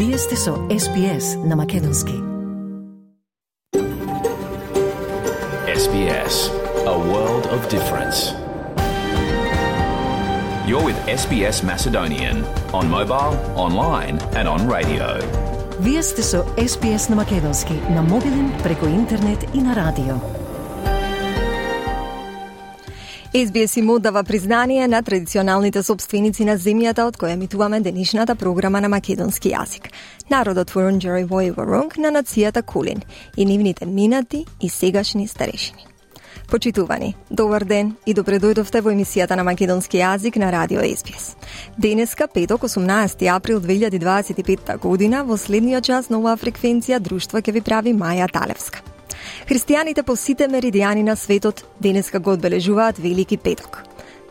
Вие сте со SBS на Македонски. SBS, a world of difference. You're with SBS Macedonian on mobile, online and on radio. Вие сте со SBS на Македонски на мобилен, преку интернет и на радио. SBS им оддава признание на традиционалните собственици на земјата од која емитуваме денешната програма на македонски јазик. Народот Вурунџери Воронг на нацијата Кулин и нивните минати и сегашни старешини. Почитувани, добар ден и добре дојдовте во емисијата на македонски јазик на радио SBS. Денеска, петок, 18 април 2025 година, во следниот час на оваа фреквенција друштво ќе ви прави Маја Талевска. Христијаните по сите меридијани на светот денеска го одбележуваат Велики петок.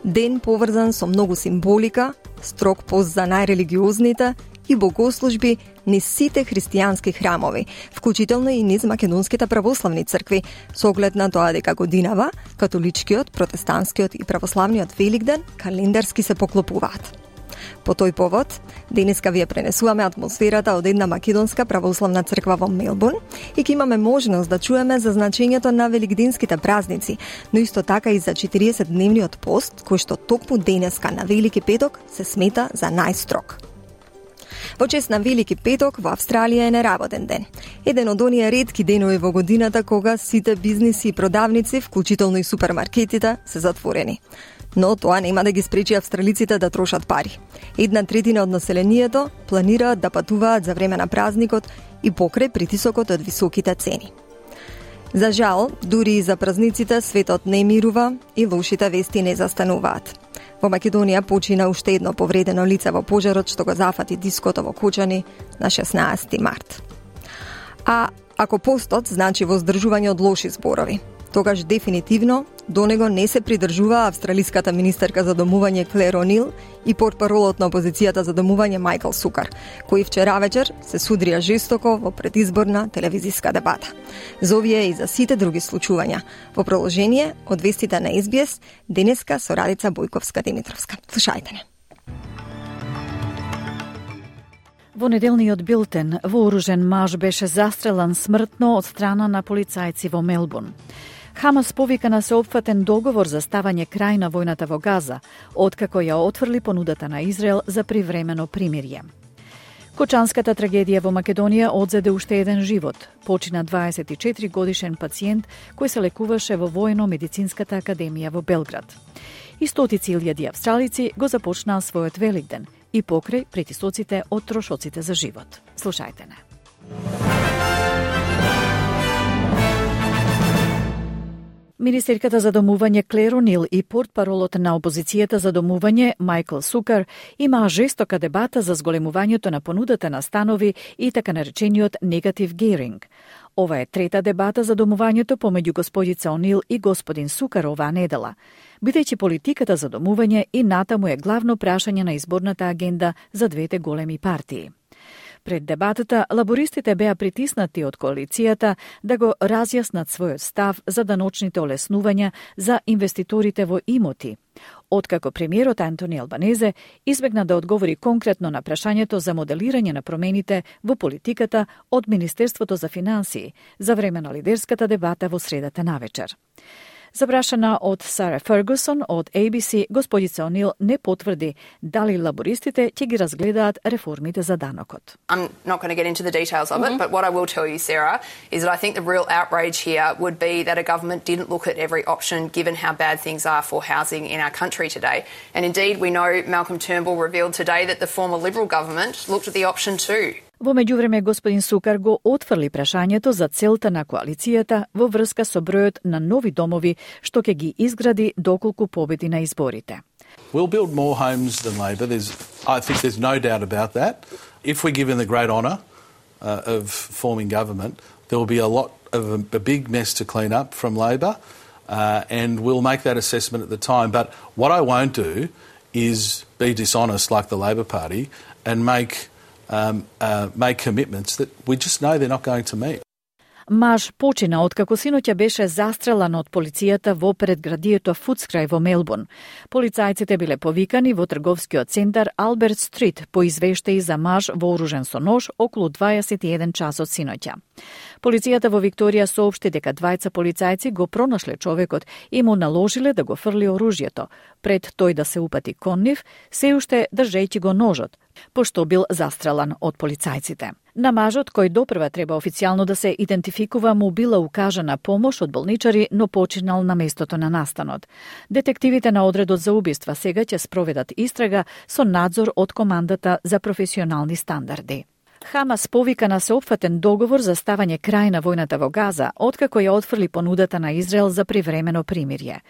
Ден поврзан со многу символика, строг пост за најрелигиозните и богослужби низ сите христијански храмови, вклучително и низ македонските православни цркви, со оглед на тоа дека годинава католичкиот, протестантскиот и православниот Великден календарски се поклопуваат. По тој повод, денеска вие пренесуваме атмосферата од една македонска православна црква во Мелбурн и ќе имаме можност да чуеме за значењето на великденските празници, но исто така и за 40-дневниот пост, кој што токму денеска на Велики петок се смета за најстрог. Во чест на Велики петок во Австралија е неработен ден. Еден од оние ретки денови во годината кога сите бизниси и продавници, вклучително и супермаркетите, се затворени. Но тоа нема да ги спречи австралиците да трошат пари. 1/3 од населението планираат да патуваат за време на празникот и покрај притисокот од високите цени. За жал, дури и за празниците светот не мирува и лошите вести не застануваат. Во Македонија почина уште едно повредено лице во пожарот што го зафати диското во Кочани на 16 март. А ако постот значи воздржување од лоши зборови, тогаш дефинитивно до него не се придржува австралиската министерка за домување Клер О'Нил и портпаролот на опозицијата за домување Майкл Сукар, кои вчера вечер се судрија жестоко во предизборна телевизиска дебата. За овие и за сите други случувања, во продолжение од вестите на SBS, денеска со Радица Бојковска-Димитровска. Слушајте не. Во неделниот билтен, вооружен маж беше застрелан смртно од страна на полицајци во Мелбурн. Хамас повика на сеопфатен договор за ставање крај на војната во Газа, откако ја отфрли понудата на Израел за привремено примирје. Кочанската трагедија во Македонија одзеде уште еден живот. Почина 24 годишен пациент кој се лекуваше во Војно-медицинската академија во Белград. И стотици илјади австралици го започнаа својот Великден и покрај притисоците од трошоците за живот. Слушајте не. Министерката за домување Клер О'Нил и портпаролот на опозицијата за домување Майкл Сукар имаа жестока дебата за зголемувањето на понудата на станови и така наречениот негатив гејринг. Ова е трета дебата за домувањето помеѓу господица О'Нил и господин Сукар оваа недела, бидејќи политиката за домување и натаму е главно прашање на изборната агенда за двете големи партии. Пред дебатата, лабористите беа притиснати од коалицијата да го разјаснат својот став за даночните олеснувања за инвеститорите во имоти, откако премиерот Антони Албанезе избегна да одговори конкретно на прашањето за моделирање на промените во политиката од Министерството за финансии за време на лидерската дебата во средата навечер. Запрашана од Сара Фергусон од ABC, господица О'Нил не потврди дали лабористите ќе ги разгледаат реформите за данокот. I'm not going to get into the details of it, but what I will tell you, Sarah, is that I think the real outrage here would be that a government didn't look at every option given how bad things are for housing in our country today. And indeed, we know Malcolm Turnbull revealed today that the former Liberal government looked at the option too. Во меѓувреме, господин Сукар го отфрли прашањето за целта на коалицијата во врска со бројот на нови домови што ќе ги изгради доколку победи на изборите. We'll build more homes than Labor. I think there's no doubt about that. If we're given the great honour of forming government, there will be a big mess to clean up from Labor, and we'll make that assessment at the time. But what I won't do is be dishonest like the Labor Party and make commitments that we just know they're not going to meet. Маж почина откако синоќа беше застрелан од полицијата во предградието Фудскрај во Мелбурн. Полицајците биле повикани во трговскиот центар Алберт Стрит по извештаи за маж вооружен со нож околу 21 часот синоќа. Полицијата во Викторија соопшти дека двајца полицајци го пронашле човекот и му наложиле да го фрли оружјето, пред тој да се упати кон нив, се уште држејќи го ножот, пошто бил застрелан од полицајците. На мажот, кој допрва треба официјално да се идентификува, му била укажана помош од болничари, но починал на местото на настанот. Детективите на одредот за убиства сега ќе спроведат истрага со надзор од командата за професионални стандарди. Хамас повика на сеопфатен договор за ставање крај на војната во Газа, откако ја отфрли понудата на Израел за привремено примирје.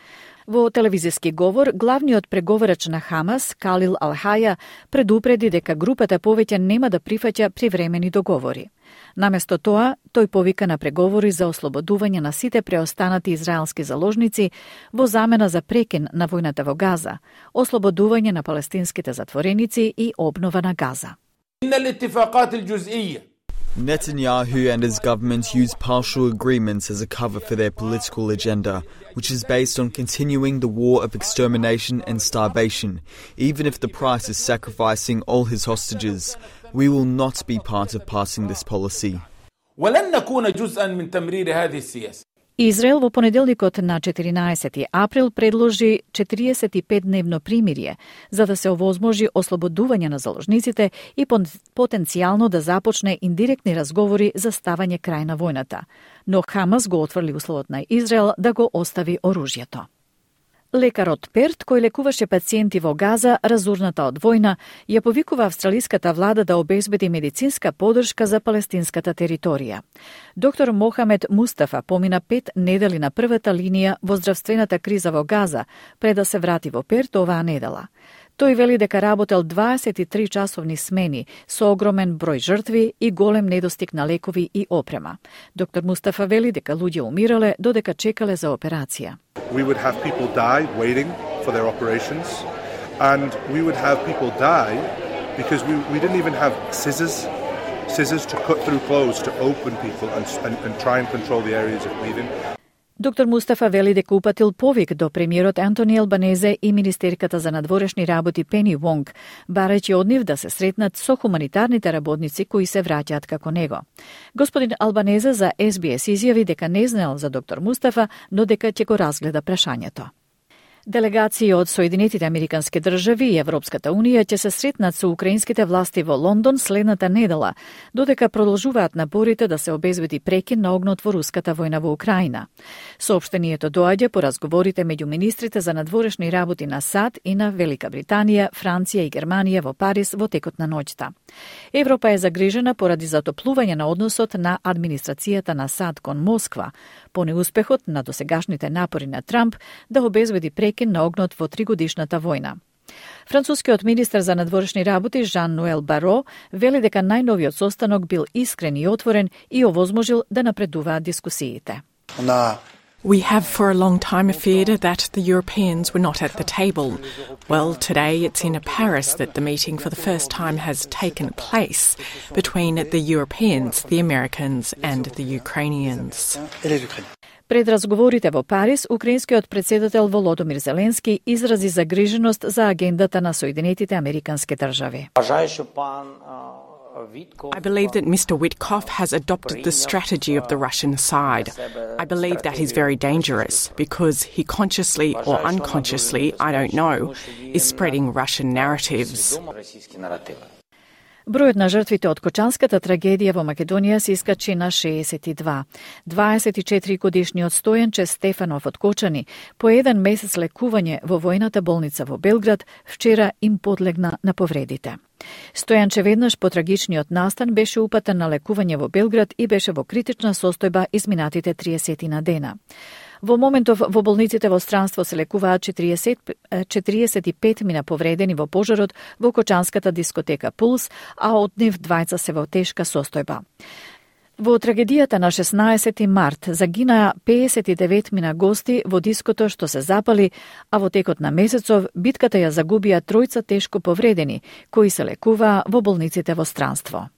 Во телевизиски говор, главниот преговарач на Хамас, Калил Ал-Хаја, предупреди дека групата повеќе нема да прифаќа привремени договори. Наместо тоа, тој повика на преговори за ослободување на сите преостанати израелски заложници во замена за прекин на војната во Газа, ослободување на палестинските затвореници и обнова на Газа. Netanyahu and his government use partial agreements as a cover for their political agenda, which is based on continuing the war of extermination and starvation, even if the price is sacrificing all his hostages. We will not be part of passing this policy. Израел во понеделникот на 14 април предложи 45-дневно примирје за да се овозможи ослободување на заложниците и потенцијално да започне индиректни разговори за ставање крај на војната. Но Хамас го отфрли условот на Израел да го остави оружјето. Лекарот Перт, кој лекуваше пациенти во Газа, разурната од војна, ја повикува австралиската влада да обезбеди медицинска поддршка за палестинската територија. Доктор Мохамед Мустафа помина 5 недели на првата линија во здравствената криза во Газа, пред да се врати во Перт оваа недела. Тој вели дека работел 23 часовни смени со огромен број жртви и голем недостиг на лекови и опрема. Доктор Мустафа вели дека луѓе умирале додека чекале за операција. We would have people die waiting for their operations, and we would have people die because we didn't even have scissors to cut through clothes to open people and try and control the areas of bleeding. Доктор Мустафа вели дека упатил повик до премиерот Антони Албанезе и министерката за надворешни работи Пени Вонг, барајќи од нив да се сретнат со хуманитарните работници кои се враќаат како него. Господин Албанезе за SBS изјави дека не знаел за доктор Мустафа, но дека ќе го разгледа прашањето. Делегации од Соединетите Американски држави и Европската Унија ќе се сретнат со украинските власти во Лондон следната недела, додека продолжуваат напорите да се обезбеди прекин на огнот во руската војна во Украина. Соопштението доаѓа по разговорите меѓу министрите за надворешни работи на САД и на Велика Британија, Франција и Германија во Париз во текот на ноќта. Европа е загрижена поради затоплување на односот на администрацијата на САД кон Москва, по неуспехот на досегашните напори на Трамп да обезбеди прекин на огнот во 3-годишната војна. Францускиот министер за надворешни работи Жан-Ноел Баро вели дека најновиот состанок бил искрен и отворен и овозможил да напредуваат дискусиите. We have for a long time feared that the Europeans were not at the table. Well, today it's in Paris that the meeting for the first time has taken place between the Europeans, the Americans and the Ukrainians. Пред разговорите во Париз, украинскиот председател Володомир Зеленски изрази загриженост за агендата на Соединетите Американски држави. I believe that Mr. Witkoff has adopted the strategy of the Russian side. I believe that is very dangerous because he consciously or unconsciously, I don't know, is spreading Russian narratives. Бројот на жртвите од Кочанската трагедија во Македонија се искачи на 62. 24-годишниот Стојанче Стефанов од Кочани, по 1 месец лекување во војната болница во Белград, вчера им подлегна на повредите. Стојанче веднаш по трагичниот настан беше упатен на лекување во Белград и беше во критична состојба изминатите 30 на дена. Во моментов во болниците во странство се лекуваат 45 мина повредени во пожарот во Кочанската дискотека Пулс, а од нив двајца се во тешка состојба. Во трагедијата на 16 март загинаа 59 мина гости во диското што се запали, а во текот на месецов битката ја загубија тројца тешко повредени, кои се лекуваа во болниците во странство.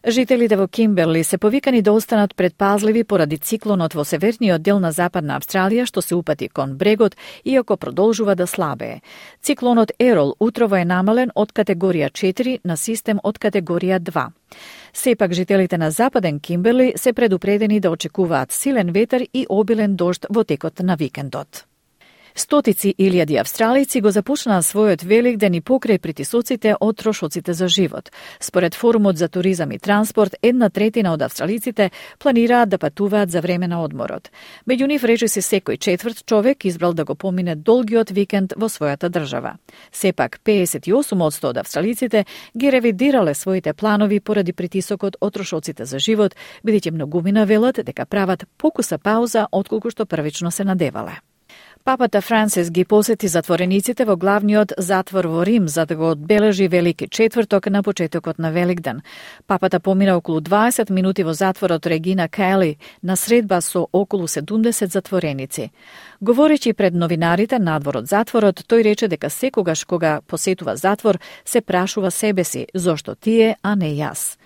Жителите во Кимберли се повикани да останат предпазливи поради циклонот во северниот дел на Западна Австралија што се упати кон брегот, иако продолжува да слабее. Циклонот Ерол утрово е намален од категорија 4 на систем од категорија 2. Сепак жителите на Западен Кимберли се предупредени да очекуваат силен ветер и обилен дожд во текот на викендот. Стотици илјади австралици го започнаа својот Великден и покрај притисоците од трошоците за живот. Според Форумот за туризам и транспорт, 1/3 од австралиците планираат да патуваат за време на одморот. Меѓу нив речиси секој четврт човек избрал да го помине долгиот викенд во својата држава. Сепак 58% од австралиците ги ревидирале своите планови поради притисокот од трошоците за живот, бидејќи многумина велат дека прават покуса пауза отколку што првично се надевале. Папата Франсис ги посети затворениците во главниот затвор во Рим за да го одбележи Велики четврток на почетокот на Великден. Папата помина околу 20 минути во затворот Регина Кели на средба со околу 70 затвореници. Говорејќи пред новинарите надвор од затворот, тој рече дека секогаш кога посетува затвор се прашува себе си зошто тие, а не јас.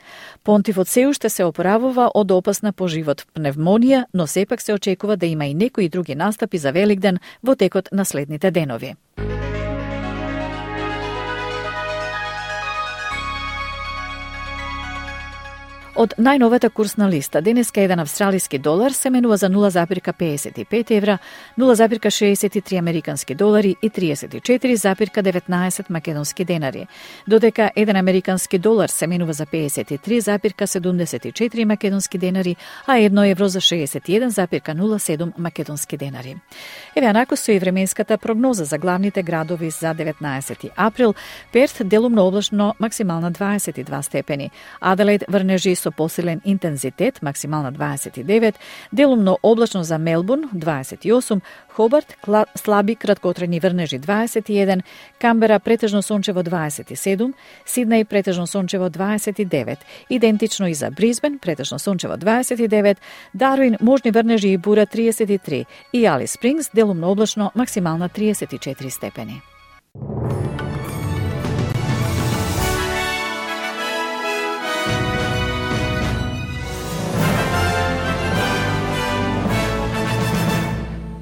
Понтифот се уште се опоравува од опасна по живот пневмонија, но сепак се очекува да има и некои други настапи за Великден во текот на следните денови. Од најновата курсна листа, денеска еден австралиски долар се менува за 0,55 евра, 0,63 американски долари и 34,19 македонски денари, додека еден американски долар се менува за 53,74 македонски денари, а 1 евро за 61,07 македонски денари. Еве анако со и временската прогноза за главните градови за 19 април. Перт делумно облачно, максимална 22 степени. Аделаид врнежи со посилен интензитет, максимална 29, делумно облачно за Мелбурн 28, Хобарт слаби краткотрajни врнежи 21, Камбера претежно сончево 27, Сиднеј претежно сончево 29, идентично и за Бризбен претежно сончево 29, Дарвин можни врнежи и бура 33 и Алис Спрингс делумно облачно, максимална 34 степени.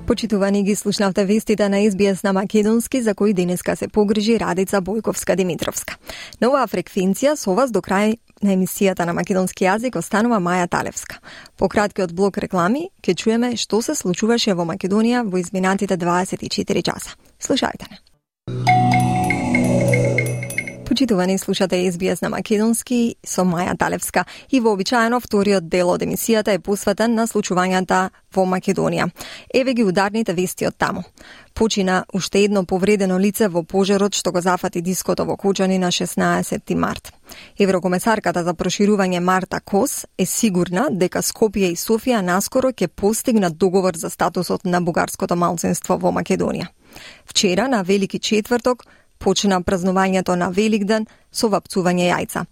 Почитувани, ги слушнавте вестите на SBS на македонски, за кои денеска се погрижи Радица Бојковска-Димитровска. На оваа фреквенција со вас до крај на емисијата на македонски јазик останува Маја Талевска. По краткиот блок реклами ќе чуеме што се случуваше во Македонија во изминатите 24 часа. Слушајте не. Почитувани, слушате SBS на македонски со Маја Талевска и вообичаено вториот дел од емисијата е посветен на случувањата во Македонија. Еве ги ударните вести од таму. Почина уште едно повредено лице во пожарот што го зафати диското во Кочани на 16 март. Еврокомесарката за проширување Марта Кос е сигурна дека Скопје и Софија наскоро ќе постигнат договор за статусот на бугарското малцинство во Македонија. Вчера, на Велики четврток, почина празнувањето на Великден со вапцување јајца.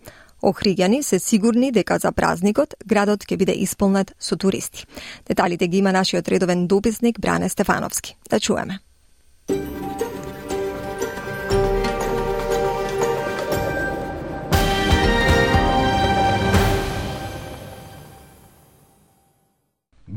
Охриѓани се сигурни дека за празникот градот ќе биде исполнет со туристи. Деталите ги има нашиот редовен дописник Бране Стефановски. Да чуеме.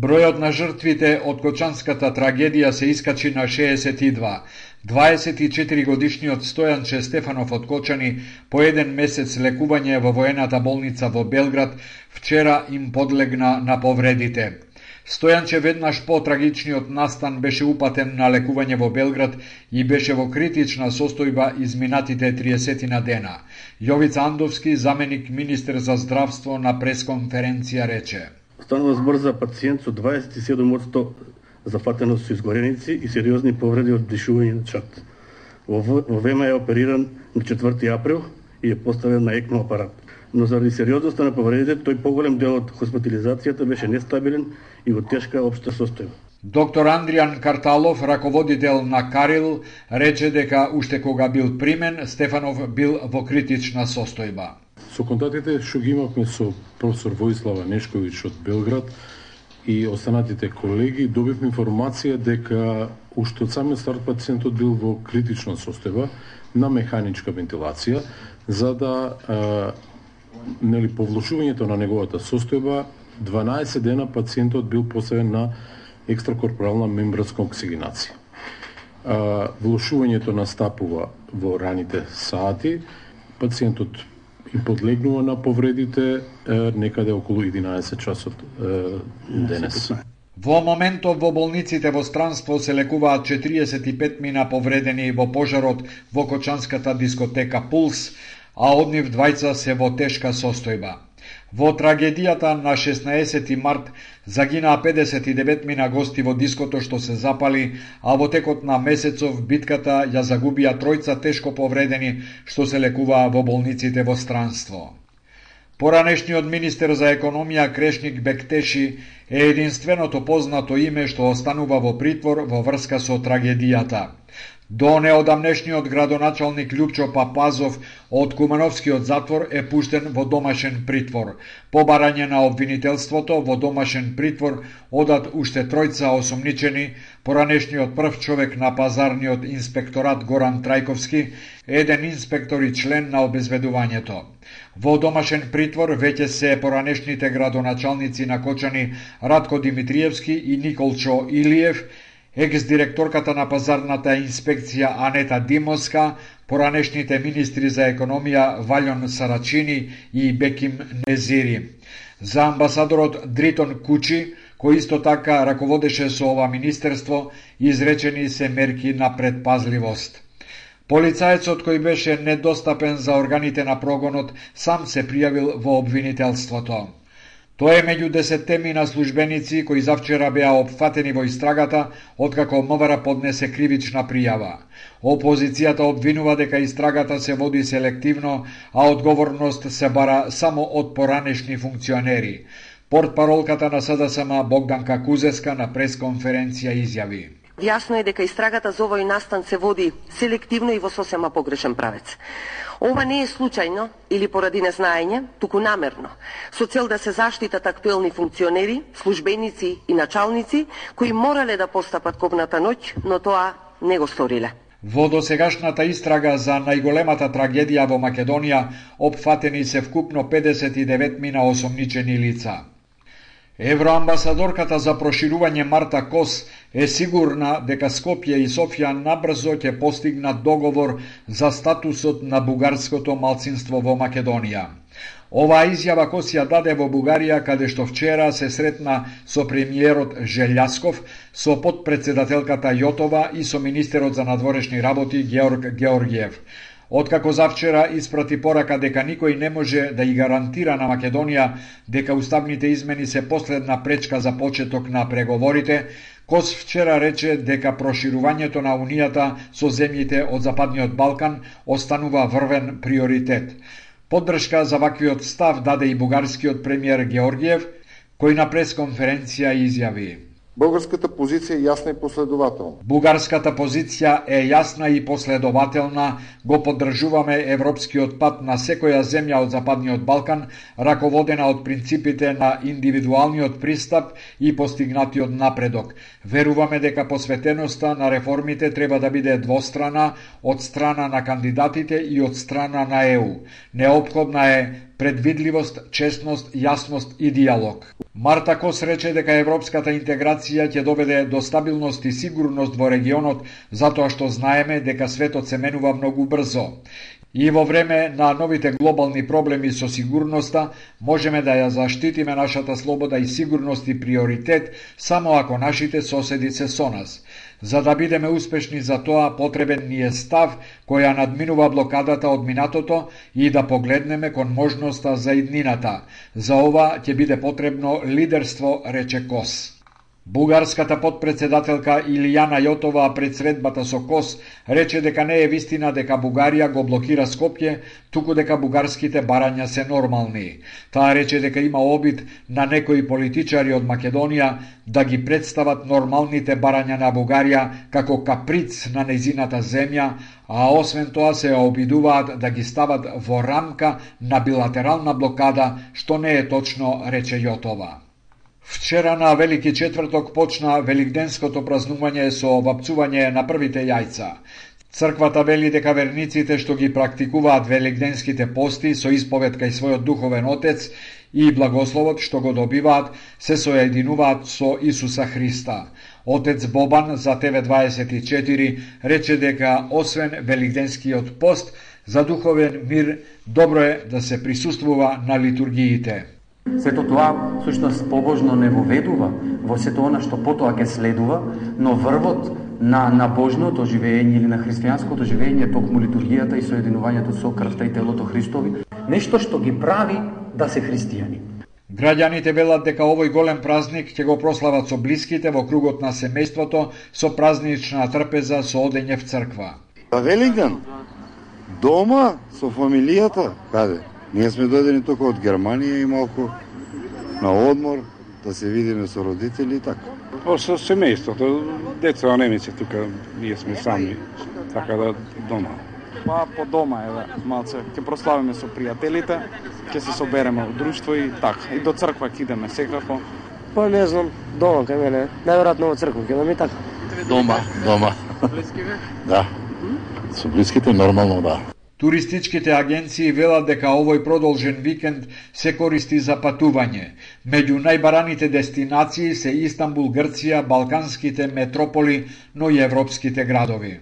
Бројот на жртвите од Кочанската трагедија се искачи на 62. 24-годишниот Стојанче Стефанов од Кочани по еден месец лекување во воената болница во Белград вчера им подлегна на повредите. Стојанче веднаш по трагичниот настан беше упатен на лекување во Белград и беше во критична состојба изминатите 30 дена. Јовица Андовски, заменик министер за здравство, на пресконференција рече: Станува збор за пациент со 27% зафатеност со изгореници и сериозни повреди од дишување на чат. Во ВМА е опериран на 4 април и е поставен на ЕКМО апарат. Но заради сериозноста на повредите, тој поголем дел од хоспитализацијата беше нестабилен и во тешка општа состојба. Доктор Андријан Карталов, раководител на Карил, рече дека уште кога бил примен, Стефанов бил во критична состојба. Со контактите што ги имавме со професор Воислава Нешковиќ од Белград и останатите колеги, добивме информација дека уште од самиот старт пациентот бил во критична состојба на механичка вентилација, за да по влошувањето на неговата состојба, 12 дена пациентот бил поставен на екстракорпорална мембранска оксигенација. Влошувањето настапува во раните сати, пациентот им подлегнува на повредите некаде околу 11 часот денес. Во моментов во болниците во странство се лекуваат 45 мина повредени во пожарот во кочанската дискотека Пулс, а од нив двајца се во тешка состојба. Во трагедијата на 16 март загинаа 59 мина гости во диското што се запали, а во текот на месецов битката ја загубија тројца тешко повредени што се лекуваа во болниците во странство. Поранешниот министер за економија Крешник Бектеши е единственото познато име што останува во притвор во врска со трагедијата. До неодамнешниот градоначалник Љупчо Папазов од Кумановскиот затвор е пуштен во домашен притвор. По барање на обвинителството во домашен притвор одат уште тројца осомничени, поранешниот прв човек на пазарниот инспекторат Горан Трајковски, еден инспектор и член на обезбедувањето. Во домашен притвор веќе се поранешните градоначалници на Кочани Радко Димитриевски и Николчо Илиев, екс-директорката на пазарната инспекција Анета Димоска, поранешните министри за економија Валјон Сарачини и Беким Незири. За амбасадорот Дритон Кучи, кој исто така раководеше со ова министерство, изречени се мерки на предпазливост. Полицаецот кој беше недостапен за органите на прогонот сам се пријавил во обвинителството. Тоа е меѓу 10 мина службеници кои завчера беа опфатени во истрагата, откако МВР поднесе кривична пријава. Опозицијата обвинува дека истрагата се води селективно, а одговорност се бара само од поранешни функционери. Портпаролката на СДСМ Богданка Кузеска на пресконференција изјави: Јасно е дека истрагата за овој настан се води селективно и во сосема погрешен правец. Ова не е случајно или поради незнаење, туку намерно, со цел да се заштитат актуелни функционери, службеници и началници кои морале да постапат кобната ноќ, но тоа не го сториле. Во досегашната истрага за најголемата трагедија во Македонија опфатени се вкупно 59 мина осомничени лица. Евроамбасадорката за проширување Марта Кос е сигурна дека Скопје и Софија набрзо ќе постигнат договор за статусот на бугарското малцинство во Македонија. Оваа изјава Кос ја даде во Бугарија, каде што вчера се сретна со премиерот Желјасков, со подпредседателката Јотова и со министерот за надворешни работи Георг Георгиев. Откако завчера испрати порака дека никој не може да ја гарантира на Македонија дека уставните измени се последна пречка за почеток на преговорите, Кос вчера рече дека проширувањето на Унијата со земјите од Западниот Балкан останува врвен приоритет. Поддршка за ваквиот став даде и бугарскиот премиер Георгиев, кој на пресконференција изјави: Бугарската позиција е јасна и последователна. Бугарската позиција е јасна и последователна. Го поддржуваме европскиот пат на секоја земја од Западниот Балкан, раководена од принципите на индивидуалниот пристап и постигнатиот напредок. Веруваме дека посветеноста на реформите треба да биде двострана, од страна на кандидатите и од страна на ЕУ. Неопходна е предвидливост, честност, јасност и диалог. Марта Кос рече дека европската интеграција ќе доведе до стабилност и сигурност во регионот, затоа што знаеме дека светот се менува многу брзо. И во време на новите глобални проблеми со сигурноста, можеме да ја заштитиме нашата слобода и сигурност и приоритет само ако нашите соседи се со нас. За да бидеме успешни за тоа, потребен ни е став која надминува блокадата од минатото и да погледнеме кон можноста за иднината. За ова ќе биде потребно лидерство, рече Кос. Бугарската подпредседателка Илијана Јотова пред средбата со Кос рече дека не е вистина дека Бугарија го блокира Скопје, туку дека бугарските барања се нормални. Таа рече дека има обид на некои политичари од Македонија да ги представат нормалните барања на Бугарија како каприц на нејзината земја, а освен тоа се обидуваат да ги стават во рамка на билатерална блокада, што не е точно, рече Јотова. Вчера на Велики четврток почна великденското празнување со вапцување на првите јајца. Црквата вели дека верниците што ги практикуваат велигденските пости со исповед кај својот духовен отец и благословот што го добиваат се соединуваат со Исуса Христа. Отец Бобан за TV24 рече дека освен велигденскиот пост, за духовен мир добро е да се присуствува на литургиите. Сето тоа всушност побожно не воведува во сето она што потоа ќе следува, но врвот на божното живење или на христијанското живење е токму литургијата и соединувањето со крвта и телото Христови, нешто што ги прави да се христијани. Граѓаните велат дека овој голем празник ќе го прослават со блиските во кругот на семејството со празнична трпеза со одење в црква. Велигден, дома со фамилијата, каде? Ние сме дојдени тука од Германија и малку на одмор, да се видиме со родители и така. Со семејството, деца немици тука, ние сме сами, така да дома. Па по дома малце, ќе прославиме со пријателите, ќе се собереме во друштво и така. И до црква ќе идеме секако. Па не знам, дома кај мене, најверојатно во црква ќе идеме и така. Дома. Да. Со блиските нормално да. Туристичките агенции велат дека овој продолжен викенд се користи за патување. Меѓу најбараните дестинации се Истанбул, Грција, балканските метрополи, но и европските градови.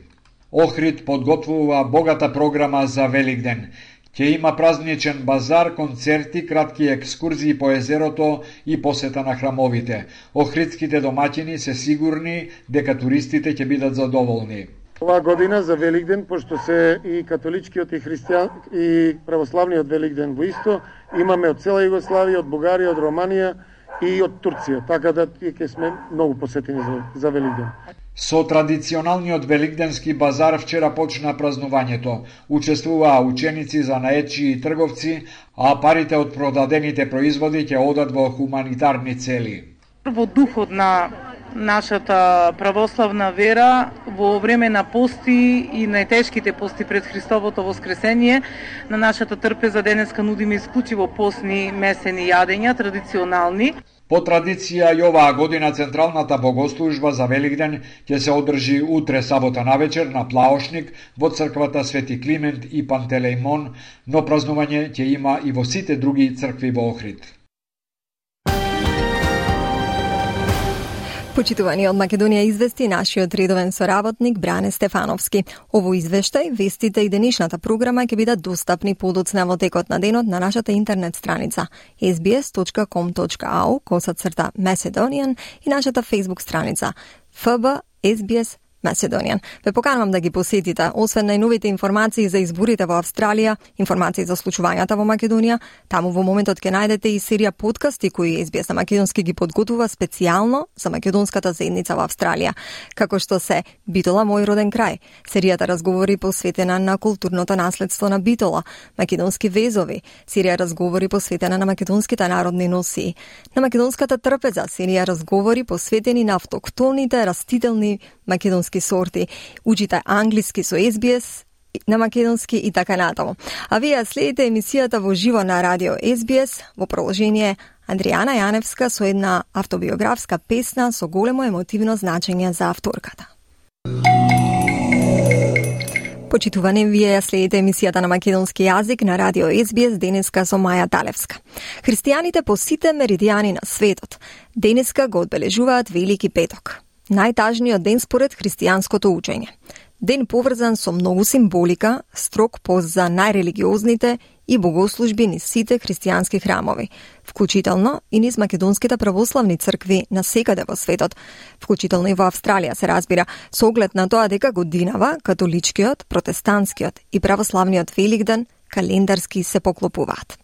Охрид подготвува богата програма за Великден. Ќе има празничен базар, концерти, кратки екскурзии по езерото и посета на храмовите. Охридските домаќини се сигурни дека туристите ќе бидат задоволни. Оваа година за Великден, пошто се и католичкиот и христијан и православниот Великден во исто, имаме од цела Југославија, од Бугарија, од Романија и од Турција, така да ќе сме многу посетени за Великден. Со традиционалниот великденски базар вчера почна празнувањето. Учествуваа ученици, занаетчи и трговци, а парите од продадените производи ќе одат во хуманитарни цели. Во духот на нашата православна вера, во време на пости и најтешките пости пред Христовото воскресение, на нашата трпеза денеска нудиме исклучиво постни месени јадења, традиционални. По традиција и оваа година централната богослужба за Великден ќе се одржи утре сабота навечер на Плаошник во црквата Свети Климент и Пантелејмон, но празнување ќе има и во сите други цркви во Охрид. Почитувани од Македонија извести нашиот редовен соработник Бране Стефановски. Ово извештај, вестите и денешната програма ќе бидат достапни подоцна во текот на денот на нашата интернет страница sbs.com.au/Macedonian и нашата Facebook страница FB SBS Macedonian. Ве поканувам да ги посетите, освен најновите информации за изборите во Австралија, информации за случувањата во Македонија, таму во моментот ќе најдете и серија подкасти кои SBS на македонски ги подготвува специјално за македонската заедница во Австралија, како што се Битола, мој роден крај, серијата разговори посветена на културното наследство на Битола, македонски везови, серија разговори посветена на македонските народни носии, на македонската трпеза, серија разговори посветени на автоктоните растителни македонски сорти, учите англиски со SBS на македонски и така натаму. А вие следите емисијата во живо на радио SBS во продолжение Андријана Јаневска со една автобиографска песна со големо емотивно значење за авторката. Почитувани, вие следите емисијата на македонски јазик на радио SBS денеска со Маја Талевска. Христијаните по сите меридијани на светот денеска го одбележуваат Велики петок, најтажниот ден според христијанското учење. Ден поврзан со многу символика, строг пост за најрелигиозните и богослужби низ сите христијански храмови, вклучително и низ македонските православни цркви на секаде во светот, вклучително и во Австралија се разбира, со оглед на тоа дека годинава католичкиот, протестантскиот и православниот Великден календарски се поклопуваат.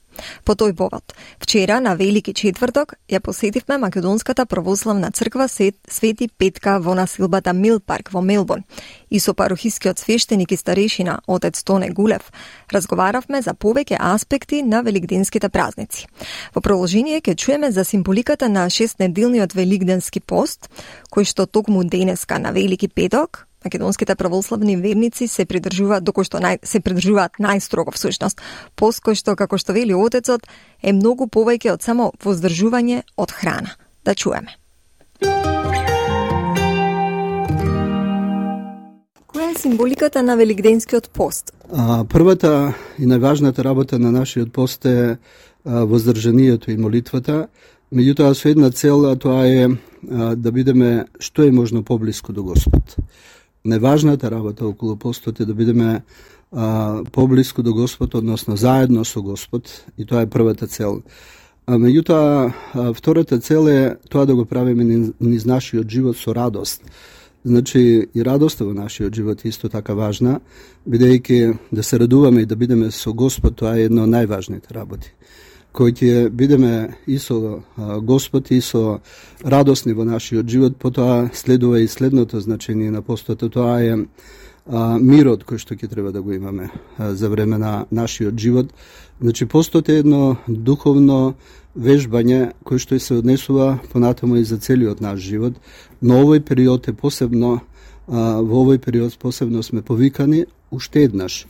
По тој повод, вчера на Велики четврток ја посетивме македонската православна црква Свети Петка во насилбата Мил Парк во Мелбурн и со парохискиот свештеник и старешина отец Тоне Гулев разговаравме за повеќе аспекти на великденските празници. Во продолжение ќе чуеме за символиката на 6-неделниот великденски пост, кој што токму денеска на Велики петок македонските православни верници се придржуваат најстрого всушност. Пост кој што, како што вели отецот, е многу повеќе од само воздржување од храна. Да чуеме. Која е символиката на великденскиот пост? Првата и најважната работа на нашиот пост е воздржанието и молитвата, меѓутоа со една цел, а тоа е да бидеме што е можно поблиску до Господ. Најважната работа околу постот е да бидеме поблиску до Господ, односно заедно со Господ, и тоа е првата цел. Меѓутоа, втората цел е тоа да го правиме низ нашиот живот со радост. Значи, и радоста во нашиот живот е исто така важна, бидејќи да се радуваме и да бидеме со Господ, тоа е една од најважните работи. Кој ќе бидеме и со Господ и со радосни во нашиот живот, потоа следува и следното значение на постот, тоа е мирот кој што ќе треба да го имаме за време на нашиот живот. Значи, постот е едно духовно вежбање кој што се однесува понатаму и за целиот наш живот, но овој период е посебно, во овој период посебно сме повикани уште еднаш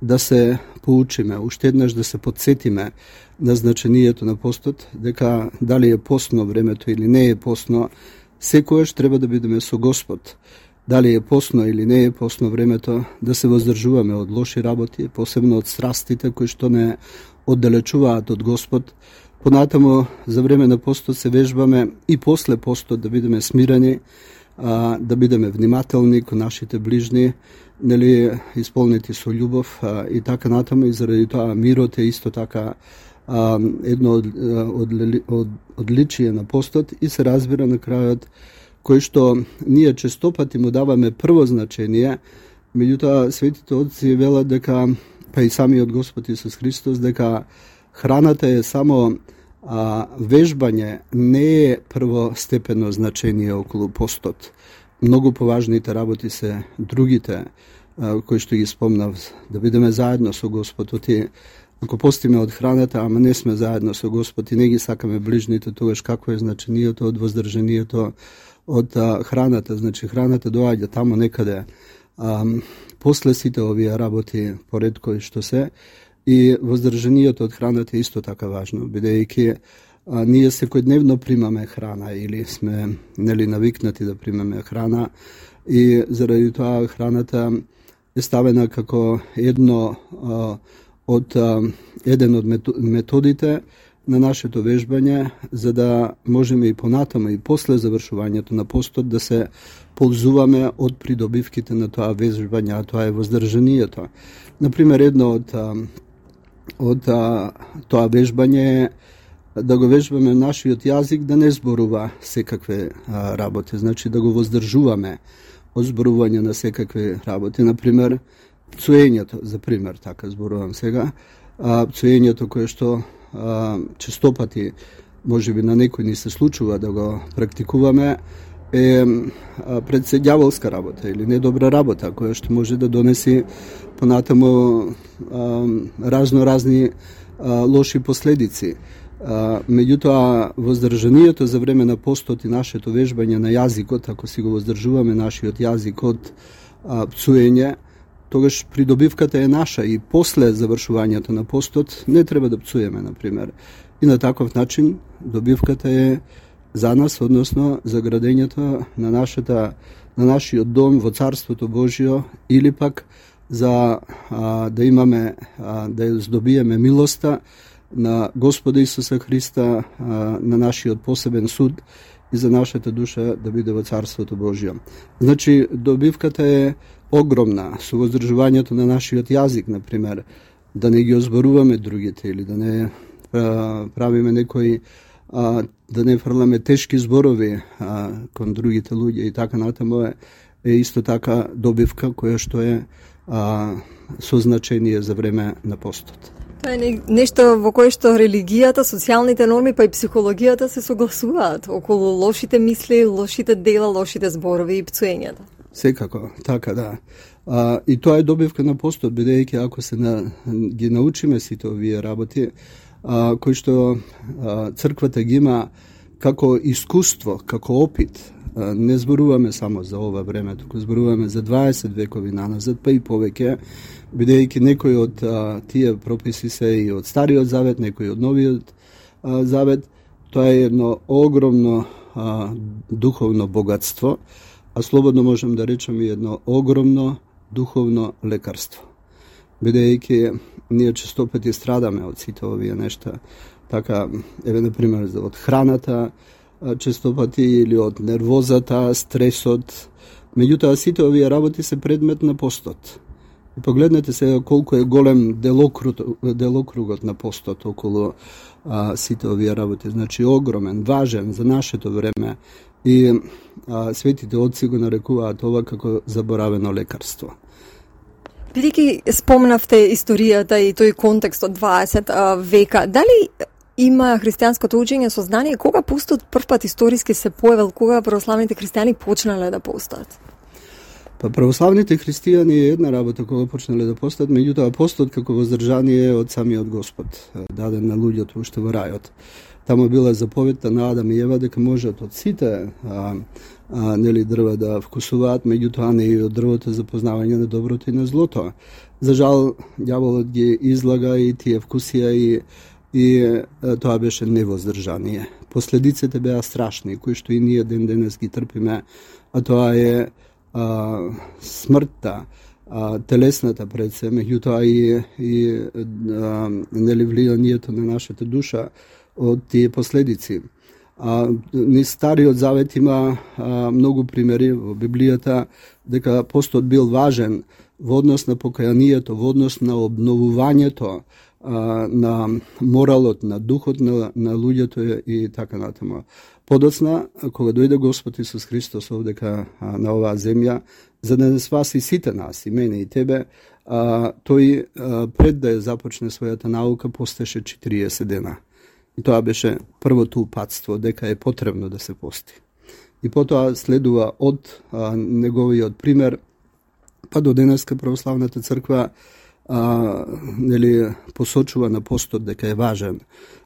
да се поучиме, уште еднаш да се подсетиме на значението на постот, дека дали е постно времето или не е постно, секојаш треба да бидеме со Господ. Дали е постно или не е постно времето, да се воздржуваме од лоши работи, посебно од страстите кои што не оддалечуваат од Господ. Понатамо, за време на постот се вежбаме и после постот да бидеме смирени, да бидеме внимателни кон нашите ближни, нели, исполнети со љубов и така натаму, и заради тоа мирот е исто така едно од одличие на постот и се разбира на крајот, кој што ние честопати му даваме прво значение, меѓутоа светите отци велат дека, па и самиот Господ Исус Христос, дека храната е само вежбање, не е првостепено значение околу постот. Многу поважните работи се другите, кои што ги спомнав, да бидеме заедно со Господ. Ако постиме од храната, ама не сме заедно со Господ и не ги сакаме ближните, тогаш како е значението од воздржанието од храната? Значи, храната доаѓа тамо некаде после сите овие работи поред кои што се, и воздржанието од храната е исто така важно, бидејќи ние секојдневно примаме храна или сме, нели, навикнати да примаме храна, и заради тоа храната е ставена како еден од методите на нашето вежбање, за да можеме и понатаму и после завршувањето на постот да се ползуваме од придобивките на тоа вежбање, а тоа е воздржанието. Например, едно од тоа вежбање е да го вежбаме нашиот јазик да не зборува секакви работи, значи да го воздржуваме од зборување на секакви работи. Например, пцуењето, за пример, така зборувам сега, пцуењето кое што честопати можеби на некој ни се случува да го практикуваме, е председјаволска работа или недобра работа, која што може да донеси понатаму разни лоши последици. Меѓутоа, воздржанието за време на постот и нашето вежбање на јазикот, ако си го воздржуваме нашиот јазик од пцуење, тогаш придобивката е наша и после завршувањето на постот не треба да пцуеме, например. И на таков начин добивката е за нас, односно за градењето на нашиот дом во Царството Божјо, или пак за да имаме, да здобиеме милоста на Господа Исуса Христа, на нашиот посебен суд и за нашата душа да биде во Царството Божјо. Значи, добивката е огромна со воздржувањето на нашиот јазик, например, да не ги озборуваме другите или да не правиме некои, да не фрламе тешки зборови кон другите луѓе и така натаму, е исто така добивка која што е со значение за време на постот. Тоа е нешто во кое што религијата, социјалните норми, па и психологијата се согласуваат околу лошите мисли, лошите дела, лошите зборови и пцуењата. Секако, така да. И тоа е добивка на постот, бидејќи ако се ги научиме сите овие работи, кои што црквата ги има како искуство, како опит, не зборуваме само за ова време, туку зборуваме за 20 векови наназад, па и повеќе, бидејќи некои од тие прописи се и од Стариот Завет, некои од Новиот Завет. Тоа е едно огромно духовно богатство, а слободно можем да речеме едно огромно духовно лекарство. Бидејќи ние често пати страдаме од сите овие нешта, така, еве, например, од храната, често пати, или од нервозата, стресот. Меѓутоа, сите овие работи се предмет на постот. И погледнете сега колку е голем делокругот на постот околу сите овие работи. Значи, огромен, важен за нашето време. И светите отци го нарекуваат ова како заборавено лекарство. Бидејќи спомнавте историјата и тој контекст од 20 века, дали има христијанското учење сознание кога постот првпат историски се појавил, кога православните христијани почнале да постат? Па православните христијани е една работа кога почнале да постат, меѓутоа постот како воздржание од самиот Господ, даден на луѓето уште во рајот. Таму била заповедта на Адам и Ева дека можат од сите нели дрва да вкусуваат, меѓутоа не и од дрвото за познавање на доброто и на злото. За жал, ѓаволот ги излага и тие вкусија и тоа беше невоздржание. Последиците беа страшни, кои што и ние ден денес ги трпиме, а тоа е смртта, телесната пред се, меѓутоа и нели влијанието на нашата душа од тие последици. Низ Стариот Завет има многу примери во Библијата дека постот бил важен во однос на покајанието, во однос на обновувањето на моралот, на духот на луѓето и така натаму. Подоцна, кога дојде Господ Исус Христос овдека на оваа земја, за да не спаси сите нас, и мене и тебе, тој пред да ја започне својата наука постеше 40 дена. И тоа беше првото упатство, дека е потребно да се пости. И потоа следува од неговиот пример, па до денеска православната црква нели посочува на постот дека е важен.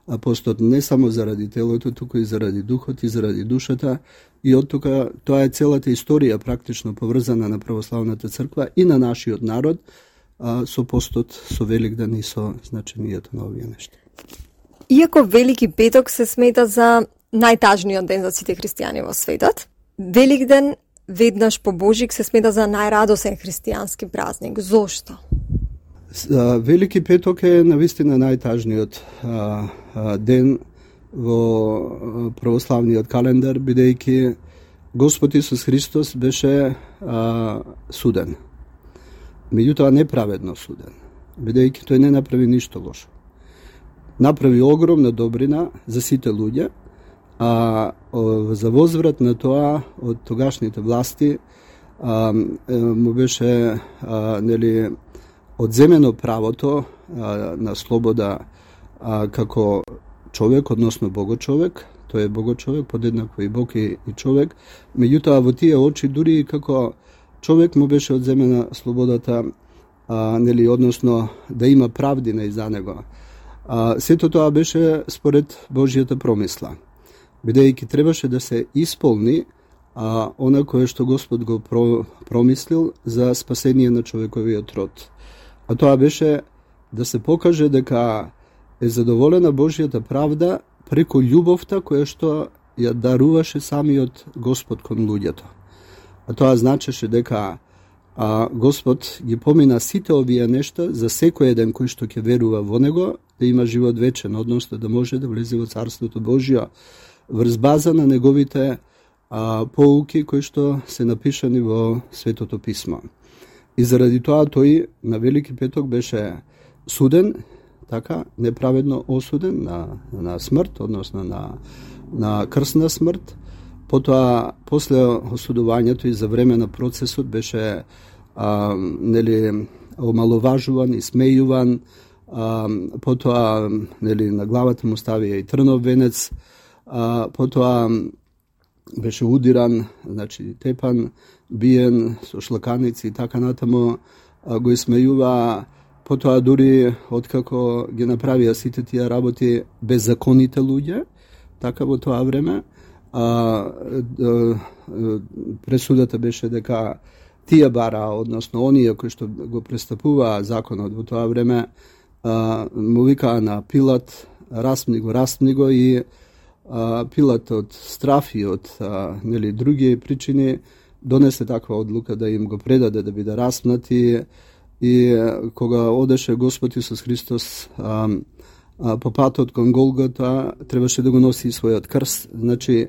А постот не само заради телото, туку и заради духот и заради душата. И од тука тоа е целата историја практично поврзана на православната црква и на нашиот народ со постот, со Великден и со значењето на овие нешта. Иако Велики петок се смета за најтажниот ден за сите христијани во светот, Великден веднаш по Божик се смета за најрадосен христијански празник. Зошто? Велики петок е навистина најтажниот ден во православниот календар, бидејќи Господ Исус Христос беше суден. Меѓутоа неправедно суден, бидејќи тој не направи ништо лошо. Направи огромна добрина за сите луѓе, а за возврат на тоа од тогашните власти му беше нели одземено правото на слобода како човек, односно богочовек. Тој е богочовек, подеднакво и Бог и човек. Меѓутоа во тие очи дури и како човек му беше одземена слободата, нели, односно да има правдина и за него. Сето тоа беше според Божјата промисла, бидејќи требаше да се исполни она кое што Господ го промислил за спасение на човековиот род. А тоа беше да се покаже дека е задоволена Божјата правда преку љубовта која што ја даруваше самиот Господ кон луѓето. А тоа значеше дека Господ ги помина сите овие нешта за секој еден кој што ќе верува во него, да има живот вечен, односно да може да влезе во Царството Божјо врз база на неговите поуки кои што се напишани во Светото Писмо. И заради тоа тој на Велики петок беше суден, така, неправедно осуден на смрт, односно на крсна смрт. Потоа, после осудувањето и за време на процесот беше нели омаловажуван и смејуван, потоа нели на главата му ставија и трнов венец, потоа беше удиран, значи тепан, биен со шлаканици и така натаму, го исмејува. Потоа дури откако ги направија сите тие работи беззаконите луѓе, така во тоа време, пресудата беше дека тие бара, односно оние кои што го престапуваа законот во тоа време, му викаа на Пилат, распни го и Пилат од страф и од нели други причини донесе таква одлука да им го предаде да биде распнат и кога одеше Господ Исус Христос по патот кон Голгота, требаше да го носи својот крст. Значи,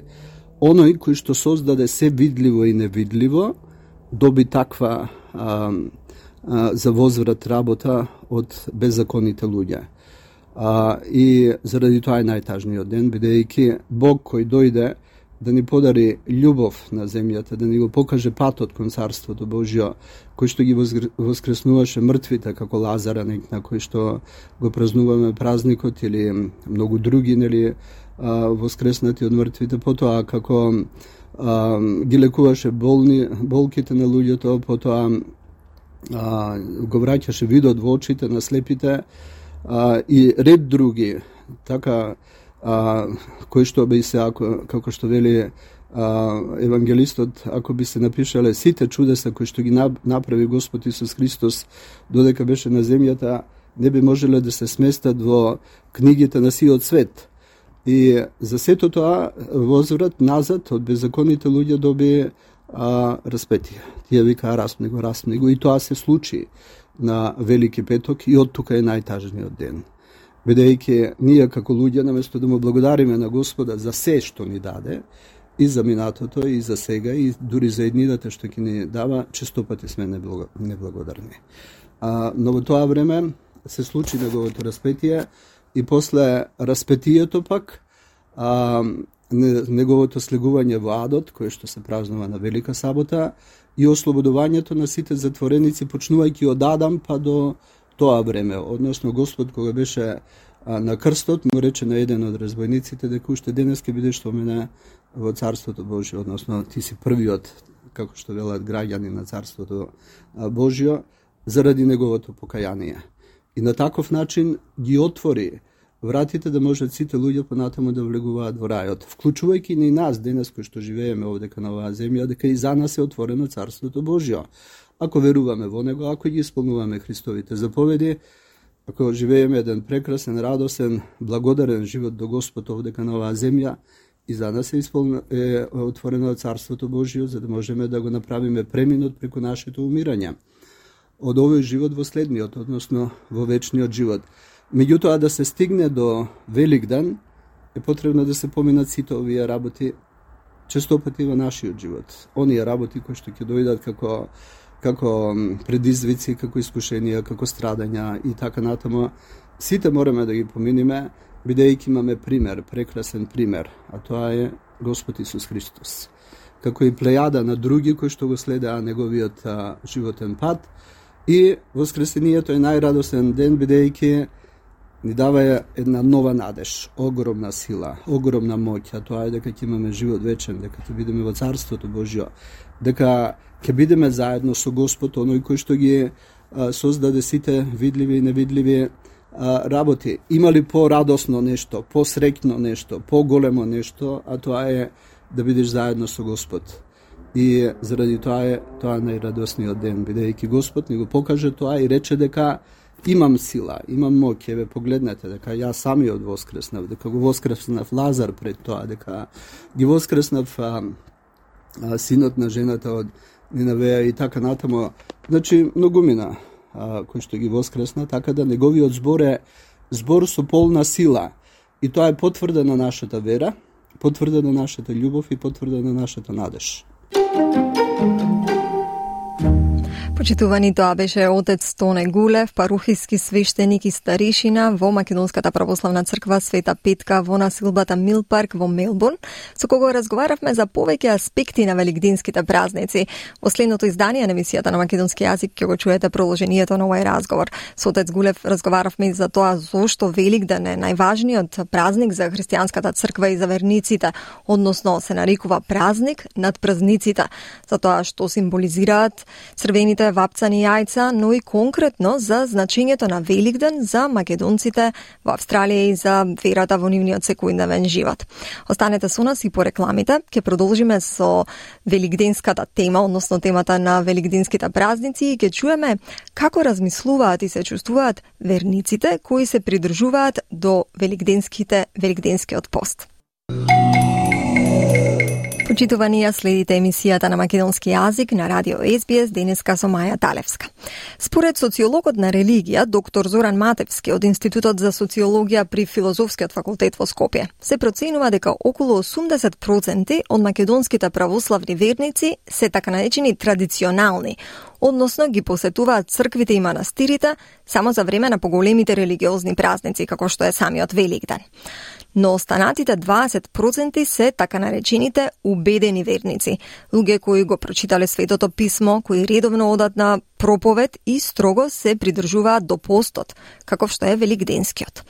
оној кој што создаде се видливо и невидливо, доби таква за возврат работа од беззаконите луѓе. И заради тоа е најтажниот ден, бидејќи Бог кој дојде да ни подари љубов на земјата, да ни го покаже патот кон Царството Божјо, кој што ги воскреснуваше мртвите, како Лазара, на кој што го празнуваме празникот, или многу други, нели, воскреснати од мртвите, потоа како ги лекуваше болките на луѓето, потоа го враќаше видот во очите на слепите, и ред други, така, кој што би се, како што вели евангелистот, ако би се напишале сите чудеса кои што ги направи Господ Исус Христос додека беше на земјата, не би можеле да се сместат во книгите на сиот свет. И за сето тоа возврат назад од беззаконите луѓе доби распетие. Тие викаа распни го, и тоа се случи на Велики петок, и од тука е најтажниот ден. Бидејќи ние како луѓе, наместо да му благодариме на Господа за се што ни даде, и за минатото, и за сега, и дури за еднината што ќе ни дава, често пати сме неблагодарни. Но во тоа време се случи неговото распетие, и после распетието пак неговото слегување во адот, кое што се празнува на Велика сабота, и ослободувањето на сите затвореници, почнувајќи од Адам па до тоа време. Односно, Господ кога беше на крстот, му рече на еден од разбойниците дека уште денес ќе бидеш со мене во Царството Божјо, односно ти си првиот, како што велат, граѓани на Царството Божјо, заради неговото покаяние. И на таков начин ги отвори вратите да можат сите луѓе понатаму да влегуваат во рајот, вклучувајќи и нас денес кои што живееме овдека на оваа земја, дека и за нас е отворено Царството Божјо. Ако веруваме во него, ако ги исполнуваме Христовите заповеди, ако живееме еден прекрасен, радосен, благодарен живот до Господ овдека на оваа земја, и за нас е отворено Царството Божјо, за да можеме да го направиме преминот преку нашето умирање од овој живот во следниот, односно во вечниот живот. Меѓутоа, да се стигне до Великден, е потребно да се поминат сите овие работи често пати во нашиот живот. Оние работи кои што ќе дојдат како предизвици, како искушенија, како страдања и така натаму, сите мораме да ги поминиме, бидејќи имаме пример, прекрасен пример, а тоа е Господ Исус Христос. Како и плејада на други кои што го следеа неговиот животен пат, и воскресението е најрадосен ден, бидејќи ни дава една нова надеж, огромна сила, огромна моќ, а тоа е дека ќе имаме живот вечен, дека ќе бидеме во Царството Божјо, дека ќе бидеме заедно со Господ, оној кој што ги создаде сите видливи и невидливи работи. Има ли по-радосно нешто, по-среќно нешто, по-големо нешто, а тоа е да бидеш заедно со Господ. И заради тоа е најрадосниот ден, бидејќи Господ ни го покаже тоа и рече дека имам сила, имам моќ, еве погледнете дека јас самиот воскреснав, дека го воскреснав Лазар пред тоа, дека ги воскреснав синот на жената од Ниневеја и така натаму. Значи, многумина кои што ги воскресна, така да неговиот збор е збор со полна сила. И тоа е потврда на нашата вера, потврда на нашата љубов и потврда на нашата надеж. Почитувани, тоа беше отец Тоне Гулев, парухиски свештеник и старишина во Македонската православна црква Света Петка во насилбата Милпарк во Мелбурн, со кого разговаравме за повеќе аспекти на великденските празници. Во следното издание на емисијата на македонски јазик ќе го чуете продолжението на овој разговор. Со отец Гулев разговаравме за тоа зошто Великден е најважниот празник за христијанската црква и за верниците, односно се нарекува празник над празниците, за тоа што символизираат црвените вапцани јајца, но и конкретно за значењето на Великден за македонците во Австралија и за верата во нивниот секојдневен живот. Останете со нас и по рекламите. Ќе продолжиме со великденската тема, односно темата на великденските празници, и ќе чуеме како размислуваат и се чувствуваат верниците кои се придржуваат до великденскиот пост. Почитувани, ја следите емисијата на македонски јазик на радио СБС денеска со Маја Талевска. Според социологот на религија, доктор Зоран Матевски од Институтот за социологија при Филозофскиот факултет во Скопје, се проценува дека околу 80% од македонските православни верници се така наречени традиционални, односно ги посетуваат црквите и манастирите само за време на поголемите религиозни празници, како што е самиот Великден. Но останатите 20% се така наречените убедени верници, луѓе кои го прочитале Светото писмо, кои редовно одат на проповед и строго се придржуваат до постот, каков што е Великденскиот.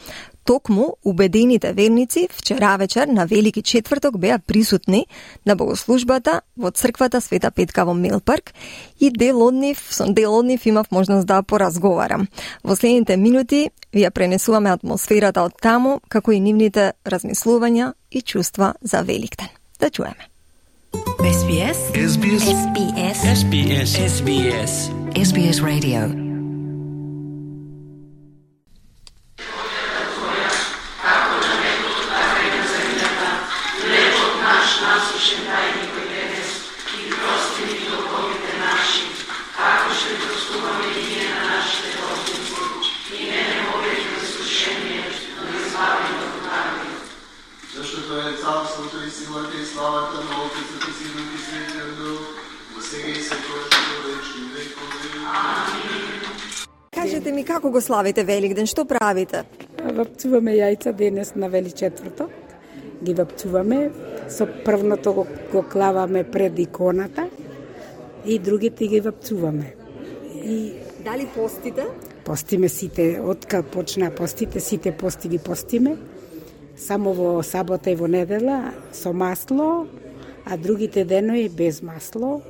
Токму убедените верници вчера вечер на Велики четврток беа присутни на богослужбата во црквата Света Петка во Милпарк и дел од нив имав можност да поразговарам. Во следните минути ви ја пренесуваме атмосферата од таму, како и нивните размислувања и чувства за Великден. Да чуеме. SBS SBS SBS SBS SBS SBS Radio. Кажете ми, како го славите Великден, што правите? Вапцуваме јајца денес на Вели четврток. Ги вапцуваме, со првното го клаваме пред иконата и другите ги вапцуваме. И дали постите? Постиме сите, откад почна постите, сите пости ги постиме. Само во сабота и во недела со масло, а другите денови без масло.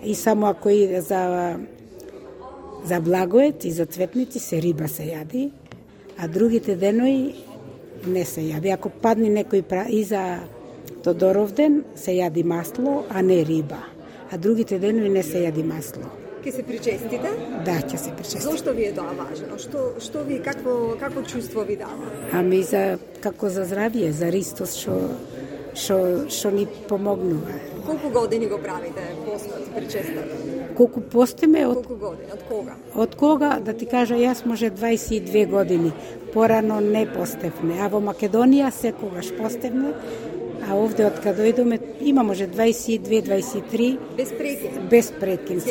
И само ако и за благоет и за цветници се риба се јади, а другите денови не се јади. Ако падне некој и за Тодоровден се јади масло, а не риба. А другите денови не се јади масло. Ке се причестите? Да, ќе се причестите. Зошто ви е тоа важно? Што ви какво чувство ви дава? Ами како за здравје, за Ристос што ни помогнува. Колку години го правите постот, причестата? Колку постиме? Колку години? Од кога? Од кога, да ти кажа, јас може 22 години. Порано не постевме. А во Македонија секогаш постевме. А овде од каде дојдоме има може 22-23 без прекин.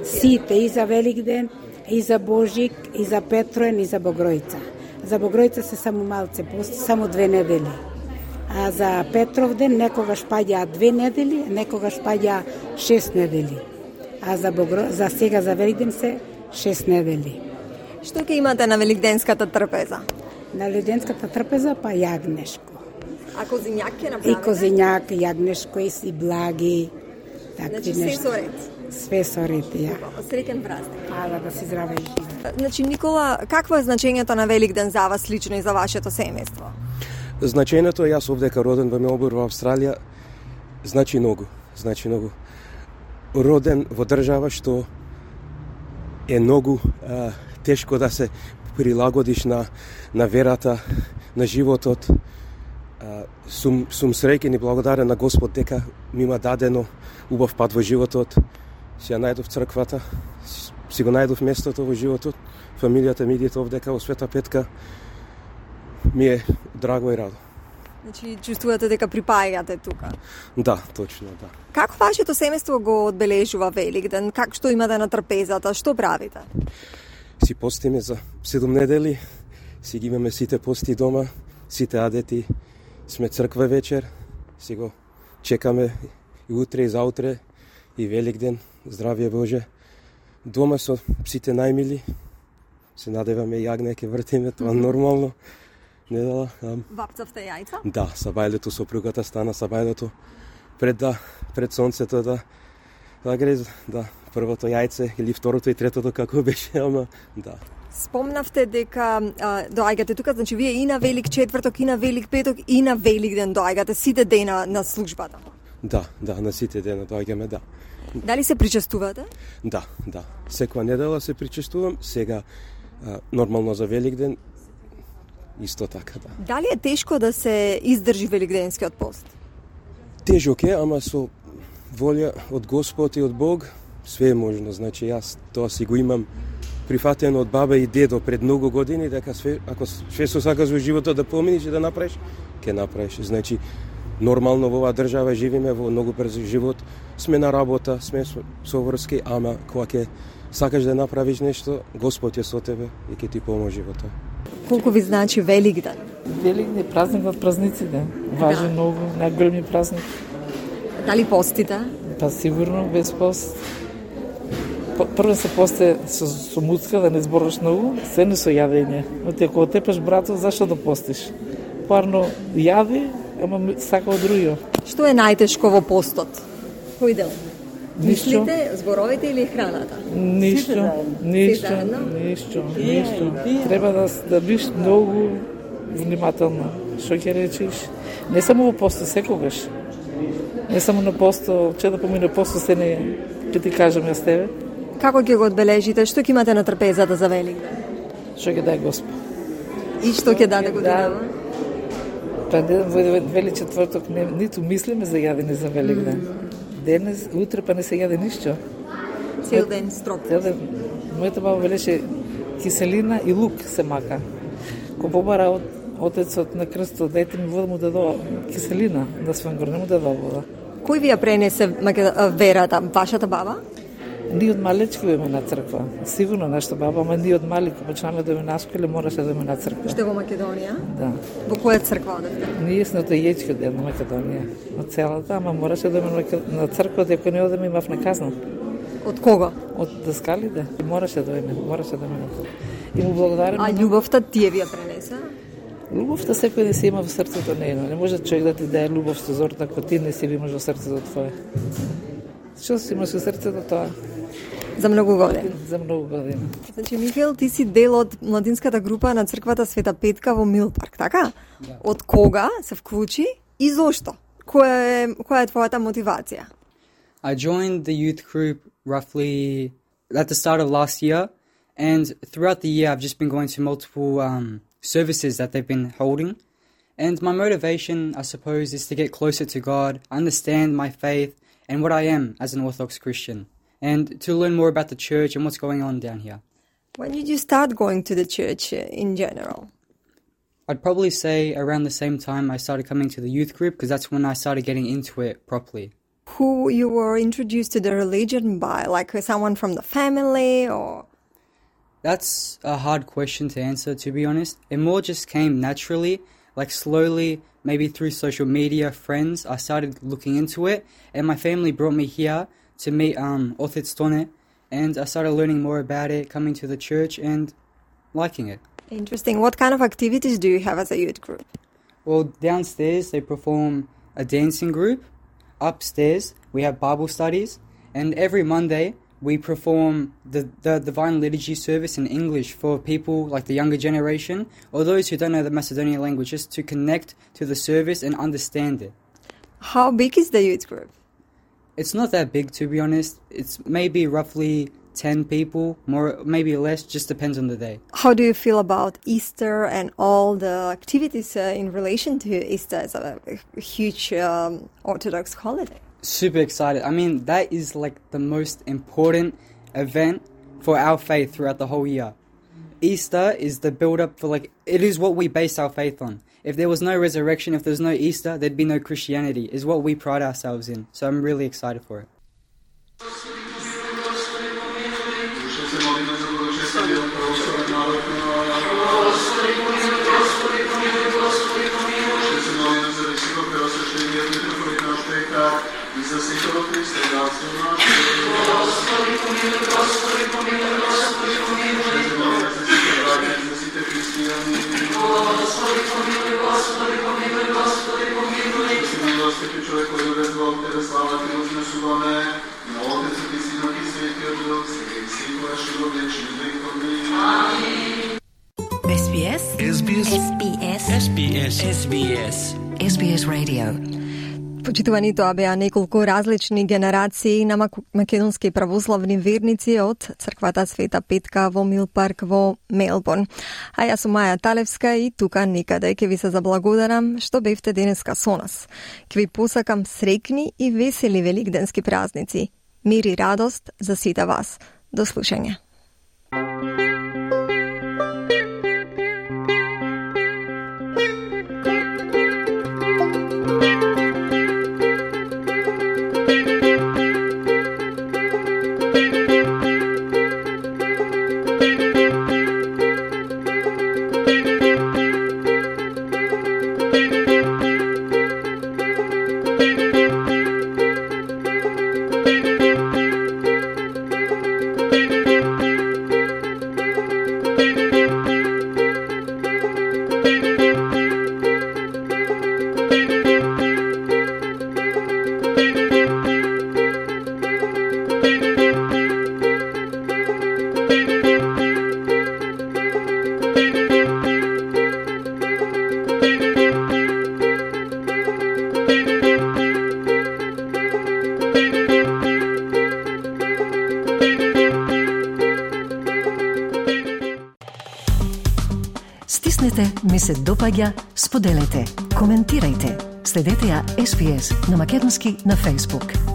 Сите и за Великден, и за Божик, и за Петроен, и за Богројца. За Богројца се само малце пости, само 2 недели. А за Петровден некогаш паѓа 2 недели, некогаш паѓа 6 недели. А за сега за Великден се 6 недели. Што ќе имате на Великденската трпеза? На Великденската трпеза па јагнешко. А козињак ќе направите? И козињак, јагнешко и благи. Значи се со ред? Све со ред, ја. Среќен празник. Ала да си здраве и жива. Значи, Никола, какво е значењето на Великден за вас лично и за вашето семејство? Значењето, јас овдека роден во Мелбурн, во Австралија, значи многу. Роден во држава што е многу тешко да се прилагодиш на верата, на животот. Сум среќен и благодарен на Господ дека ми има дадено убав пат во животот. Си ја најдов црквата, си го најдов местото во животот. Фамилијата ми идете овдека во Света Петка. Ми е драго и радо. Значи, чувствувате дека припаѓате тука? Да, точно, да. Како вашето семејство го одбележува Великден? Што имате на трпезата? Што правите? Си постиме за 7 недели, си ги имаме сите пости дома, сите адети, сме црква вечер, си го чекаме и утре и заутре, и Великден, здравје Боже. Дома со сите најмили, се надеваме јагне, ке вртиме, тоа нормално. Недела. Вапцавте јајца? Да, сабајлето сопругата стана сабајлето пред сонцето да гре, да, првото јајце или второто и третото како беше, ама да. Спомнавте дека доаѓате тука, значи вие и на Велик четврток, и на Велик петок, и на Великден доаѓате сите дена на службата. Да, на сите дена доаѓаме, да. Дали се причестувате? Да. Секоја недела се причестувам, сега нормално за Великден исто така, да. Дали е тешко да се издржи Великденскиот пост? Тежок е, ама со волја од Господ и од Бог све е можно. Значи јас тоа си го имам прифатено од баба и дедо пред многу години, дека све, ако све со сакаш во животот да поминиш и да направиш, ќе направиш. Значи нормално во оваа држава живиме во многу брз живот, сме на работа, сме со врски, ама кога ќе сакаш да направиш нешто, Господ е со тебе и ќе ти поможи во тоа. Колку ви значи Великден? Великден е празник од празниците. Важен многу, најголеми празник. Дали постите? Па сигурно, без пост. Прво се посте со муцка, да не збориш многу, се не со јадење. Но ти ако отепаш брато, зашто да постиш? Парно јади, ама сака од другиот. Што е најтешко во постот? Кој дел? Ништо. Мислите, зборовите или храната? Ништо. Треба да биш многу внимателна. Што ќе речиш? Не само во посто, секогаш. Не само на посто, че да помине посто, се не ќе ти кажам јас тебе. Како ќе го одбележите? Што ќе имате на трпезата за Великден? Што ќе даде Господ. И што ќе даде годинава? Па вели четврток ниту мислиме за јадење за Великден. Денес, утре па не се јаде ништо. Цел ден строг. Мојата баба велеше киселина и лук се мака. Ко побара отецот на крстот, дете ми вода му дадова киселина, да свангор, не му дадова вода. Кој ви ја пренесе верата? Вашата баба? Ние од малечки дојме на црква. Сигурно нашата баба, ама ние од мали, кога почнаме да дојме на школа, мораше да дојме на црква. Уште во Македонија? Да. Во која црква одевте? Ние сме од Ејечки дел на Македонија. Од целата, ама мораше да дојме на црква, ако не одеме имавме казна. Од кого? Од даскалите. Мораше да дојме. И му благодариме. А љубовта тие ви ја пренесе? Љубовта секој да се има во срцето нејно. Не може човек да ти даде љубов со зорта, ако ти не си имаш во срцето твое. Што си имаш во срцето тоа? За многу години. За многу години. Значи, Михаил, ти си дел од младинската група на црквата Света Петка во Милпарк, така? Да. Од кога се вклучи и зошто? Која е твојата мотивација? I joined the youth group roughly at the start of last year, and throughout the year I've just been going to multiple services that they've been holding. And my motivation, I suppose, is to get closer to God, understand my faith and what I am as an Orthodox Christian, and to learn more about the church and what's going on down here. When did you start going to the church in general? I'd probably say around the same time I started coming to the youth group, because that's when I started getting into it properly. Who you were introduced to the religion by, like someone from the family or? That's a hard question to answer, to be honest. It more just came naturally, like slowly, maybe through social media, friends. I started looking into it, and my family brought me here to meet Othet Stone, and I started learning more about it, coming to the church and liking it. Interesting. What kind of activities do you have as a youth group? Well, downstairs they perform a dancing group. Upstairs we have Bible studies, and every Monday we perform the Divine Liturgy service in English for people like the younger generation or those who don't know the Macedonian language, just to connect to the service and understand it. How big is the youth group? It's not that big, to be honest. It's maybe roughly 10 people, more, maybe less, just depends on the day. How do you feel about Easter and all the activities in relation to Easter as a huge Orthodox holiday? Super excited. I mean, that is like the most important event for our faith throughout the whole year. Easter is the build-up for, like, it is what we base our faith on. If there was no resurrection, if there's no Easter, there'd be no Christianity, is what we pride ourselves in. So I'm really excited for it. SBS Radio. Почитувани, тоа беа неколку различни генерации на македонски православни верници од црквата Света Петка во Мил Парк во Мелбурн. А јас сум Маја Талевска и тука некаде ќе ви се заблагодарам што бевте денеска со нас. Ќе ви посакам среќни и весели великденски празници. Мир и радост за сите вас. До слушање. Стиснете, ми се допаѓа, споделете, коментирајте. Следете ја SPS на Македонски на Facebook.